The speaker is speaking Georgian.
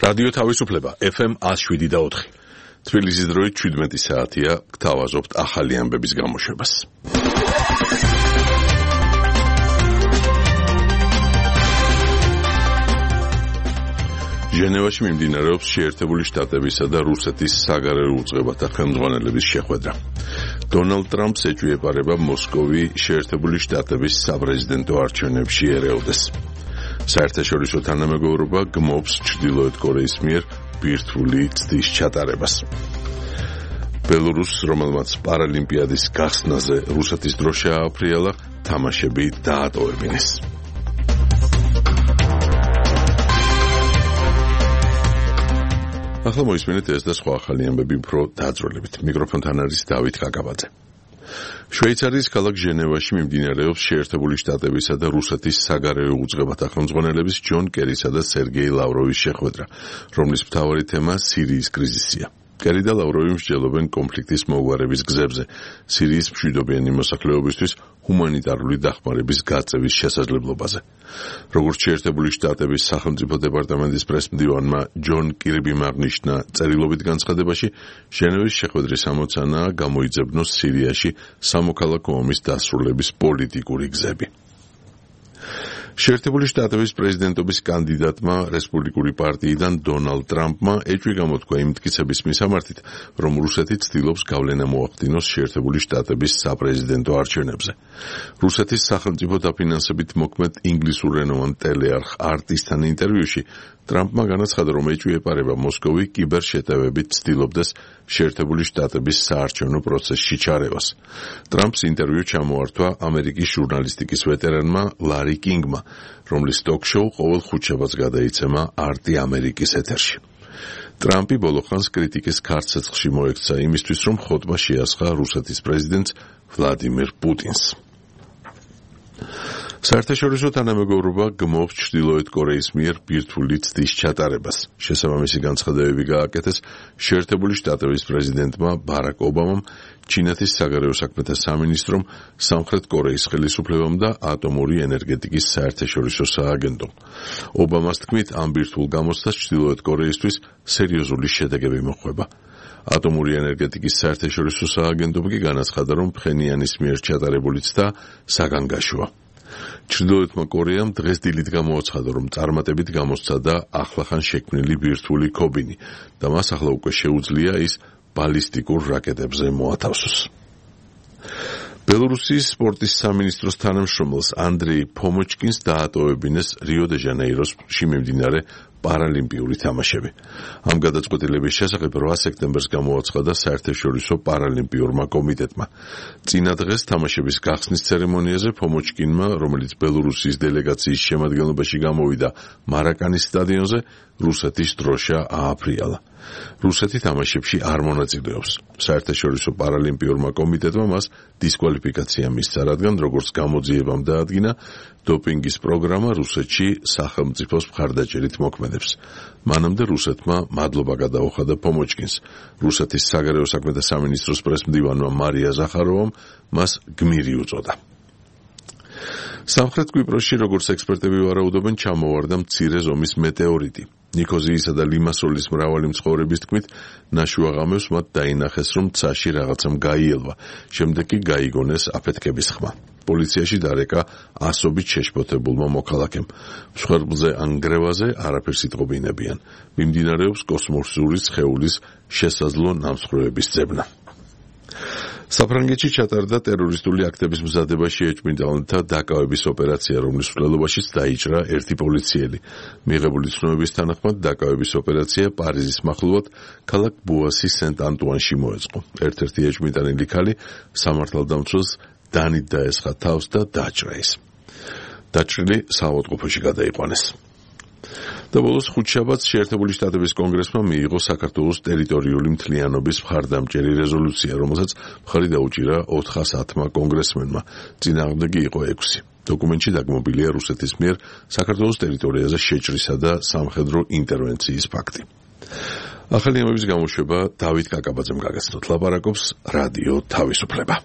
რადიო თავისუფლება FM 107.4. თბილისის დროით 17 საათია, გთავაზობთ ახალი ამბების გამოშვებას. ჟენევაში მიმდინარეობს შეერთებული შტატებისა და რუსეთის საგარეო უწყებათა ხელმძღვანელების შეხვედრა. დონალდ ტრამპს ეჭვიეპარება მოსკოვი შეერთებული შტატების საპრეზიდენტო არჩევნებში ერეოდეს. საერთაშორისო თანამეგობრობა გმობს ჩრდილოეთ კორეის მიერ ბირთვული ცდის ჩატარებას. ბელორუსს, რომელმაც პარალიმპიადის გახსნაზე რუსეთის დროშა ააფრიალა, თამაშები დაატოვებინეს. ახლა მოისმინეთ ეს და სხვა ახალი ამბები უფრო დაძროლებით. მიკროფონთან არის დავით კაკაბაძე. შვეიცარიის ქალაქ ჟენევაში მიმდინარეობს შეერთებული შტატებისა და რუსეთის საგარეო უწყებათა ხელმძღვანელების ჯონ კერისა და სერგეი ლავროვის შეხვედრა, რომლის მთავარი თემა სირიის კრიზისია. კერი და ლავროვი მსჯელობენ კონფლიქტის მოგვარების გზებზე, სირიის მშვიდობიანი მოსახლეობისთვის ჰუმანიტარული დახმარების გაწევის შესაძლებლობაზე. როგორც შეერთებული შტატების სახელმწიფო დეპარტამენტის პრესმდივანმა ჯონ კირბიმ აღნიშნა წერილობით განცხადებაში, ჟენევის შეხვედრის ამოცანაა გამოიძებნოს სირიაში სამოქალაქო ომის დასრულების პოლიტიკური გზები. შეერთებული შტატების პრეზიდენტობის კანდიდატმა რესპუბლიკური პარტიიდან დონალდ ტრამპმა ეჭვი გამოთქვა იმ მტკიცების მისამართით, რომ რუსეთი ცდილობს გავლენა მოახდინოს შეერთებული შტატების საპრეზიდენტო არჩევნებზე. რუსეთის სახელმწიფო დაფინანსებით მოქმედ ინგლისურენოვან ტელეარხ არტისთან ინტერვიუში ტრამპმა განაცხადა, რომ ეჭვიეპარება მოსკოვი კიბერშეტევებით ცდილობდეს შეერთებული შტატების საარჩევნო პროცესში ჩარევას. ტრამპს ინტერვიუ ჩამოართვა ამერიკის ჟურნალისტიკის ვეტერანმა ლარი კინგმა, რომლის ტოქ-შოუ ყოველ ხუთშაბათს გადაიცემა არტი ამერიკის ეთერში. ტრამპი ბოლოხანს კრიტიკის ქარცეცხლში მოექცა იმისთვის, რომ ხოტბა შეასხა რუსეთის პრეზიდენტს ვლადიმირ პუტინს. საერთაშორისო თანამეგობრობა გმობს ჩრდილოეთ კორეის მიერ ბირთვული ცდის ჩატარებას. შესაბამისი განცხადებები გააკეთეს შეერთებული შტატების პრეზიდენტმა ბარაკ ობამამ, ჩინეთის საგარეო საქმეთა სამინისტრომ, სამხრეთ კორეის ხელისუფლებამ და ატომური ენერგეტიკის საერთაშორისო სააგენტომ. ობამას თქმით, ამ ბირთვულ გამოცდას ჩრდილოეთ კორეისთვის სერიოზული შედეგები მოჰყვება. ატომური ენერგეტიკის საერთაშორისო სააგენტომ კი განაცხადა, რომ ფხენიანის მიერ ჩატარებული ცდა საგანგაშოა. ჩრდილოეთმა კორეამ დღეს დილით გამოაცხადა, რომ წარმატებით გამოსცადა ახლახან შექმნილი ბირთვული ქობინი და მას ახლა უკვე შეუძლია ის ბალისტიკურ რაკეტებზე მოათავსოს. ბელორუსიის სპორტის სამინისტროს თანამშრომელს ანდრეი ფომოჩკინს დაატოვებინეს რიო-დე-ჟანეიროში მიმდინარე პარალიმპიური თამაშები. ამ გადაწყვეტილების შესახებ 8 სექტემბერს გამოაცხადა საერთაშორისო პარალიმპიურმა კომიტეტმა. წინა დღეს თამაშების გახსნის ცერემონიაზე ფომოჩკინმა, რომელიც ბელორუსიის დელეგაციის შემადგენლობაში გამოვიდა მარაკანის სტადიონზე, რუსეთის დროშა ააფრიალა. რუსეთი თამაშებში არ მონაწილეობს. საერთაშორისო პარალიმპიურმა კომიტეტმა მას დისკვალიფიკაცია მისცა, რადგან როგორც გამოძიებამ დაადგინა, დოპინგის პროგრამა რუსეთში სახელმწიფოს მხარდაჭერით მოქმედებს. მანამდე რუსეთმა მადლობა გადაუხადა ფომოჩკინს. რუსეთის საგარეო საქმეთა სამინისტროს პრესმდივანმა მარია ზახაროვამ მას გმირი უწოდა. სამხრეთ კვიპროსში, როგორც ექსპერტები ვარაუდობენ, ჩამოვარდა მცირე ზომის მეტეორიტი. ნიქოზიისა და ლიმასოლის მრავალი მცხოვრების თქმით, ნაშუაღამევს მათ დაინახეს, რომ ცაში რაღაცამ გაიელვა, შემდეგ კი გაიგონეს აფეთქების ხმა. პოლიციაში დარეკა ასობით შეშფოთებულმა მოქალაქემ. მსხვერპლზე ან გრევაზე არაფერს იტყობინებიან. მიმდინარეობს კოსმოსური სხეულის შესაძლო ნამსხვრევების ძებნა. საფრანგეთში ჩატარდა ტერორისტული აქტების მზადებაში ეჭვმიტანელთა დაკავების ოპერაცია, რომლის მსვლელობაშიც დაიჭრა ერთი პოლიციელი. მიღებული ცნობების თანახმად დაკავების ოპერაცია პარიზის მახლობლად ქალაქ ბუასის სენტ-ანტუანში მოეწყო. ერთ-ერთი ეჭვმიტანილი ქალი სამართალდამცველს დანით დაესხა თავს და დაჭრა ის. დაჭრილი საავადმყოფოში გადაიყვანეს. და ბოლოს ხუთშაბათს შეერთებული შტატების კონგრესმა მიიღო საქართველოს ტერიტორიული მთლიანობის მხარდამჭერი რეზოლუცია, რომელსაც მხარი დაუჭირა 410-მა კონგრესმენმა. წინააღმდეგი იყო 6. დოკუმენტში დაგმობილია რუსეთის მიერ საქართველოს ტერიტორიაზე შეჭრისა და სამხედრო ინტერვენციის ფაქტი. ახალი ამბების გამოშვება დავით კაკაბაძემ გაგაცნოთ. ლაპარაკობს რადიო თავისუფლება.